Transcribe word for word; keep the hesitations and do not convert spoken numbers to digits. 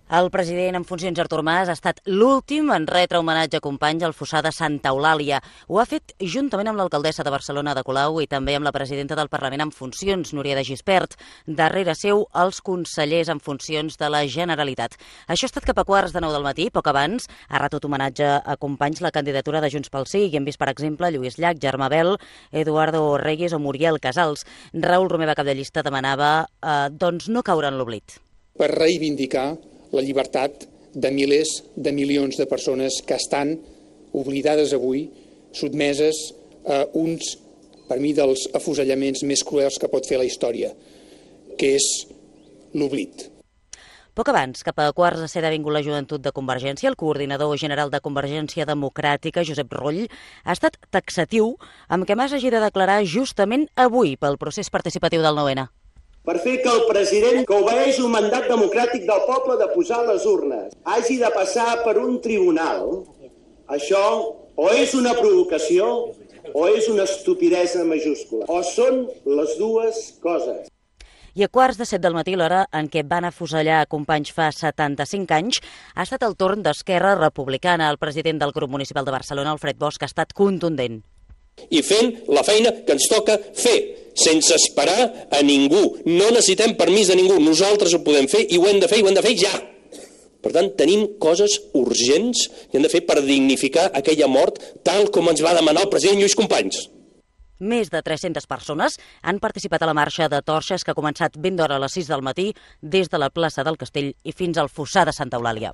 El president en funcions Artur Mas ha estat l'últim en retre homenatge a companys al fossar de Santa Eulàlia. Ho ha fet juntament amb l'alcaldessa de Barcelona, Ada Colau, i també amb la presidenta del Parlament en funcions, Núria de Gispert. Darrere seu, els consellers en funcions de la Generalitat. Això ha estat cap a quarts de nou del matí. Poc abans ha retut homenatge a companys la candidatura de Junts pel Sí, i hem vist, per exemple, Lluís Llach, Germà Bel, Eduardo Reyes o Muriel Casals. Raül Romeva, cap de llista, demanava eh, doncs no caure en l'oblit. Per reivindicar la llibertat de milers de milions de persones que estan oblidades avui, sotmeses a uns, per mi, dels afusellaments més cruels que pot fer la història, que és l'oblit. Poc abans, cap a quarts de set, ha vingut la joventut de Convergència. El coordinador general de Convergència Democràtica, Josep Rull, ha estat taxatiu amb què Mas hagi de declarar justament avui pel procés participatiu del nou ene. Per fer que el president, que obeeix un mandat democràtic del poble de posar les urnes, hagi de passar per un tribunal, això o és una provocació o és una estupidesa majúscula. O són les dues coses. I a quarts de set del matí, l'hora en què van afusellar companys fa setanta-cinc anys, ha estat el torn d'Esquerra Republicana. El president del grup municipal de Barcelona, Alfred Bosch, ha estat contundent. I fent la feina que ens toca fer, sense esperar a ningú. No necessitem permís de ningú, nosaltres ho podem fer i ho hem de fer i ho hem de fer ja. Per tant, tenim coses urgents que hem de fer per dignificar aquella mort tal com ens va demanar el president Lluís Companys. Més de tres-centes persones han participat a la marxa de torxes que ha començat ben d'hora a les sis del matí des de la plaça del Castell i fins al fossar de Santa Eulàlia.